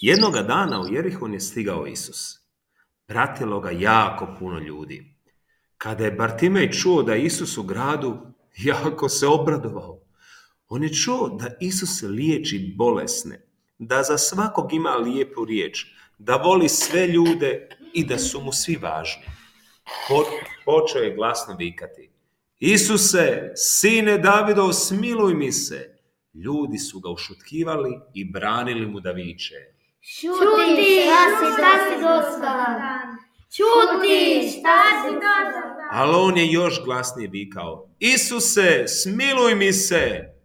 Jednoga dana u Jerihon je stigao Isus. Pratilo ga jako puno ljudi. Kada je Bartimej čuo da je Isus u gradu, jako se obradovao. On je čuo da Isus liječi bolesne, da za svakog ima lijepu riječ, da voli sve ljude i da su mu svi važni. Počeo je glasno vikati: Isuse, sine Davidov, smiluj mi se. Ljudi su ga ušutkivali i branili mu da viče: Čuti, šta si dosadan? Čuti, šta si dosadan? Ali on je još glasnije vikao: Isuse, smiluj mi se.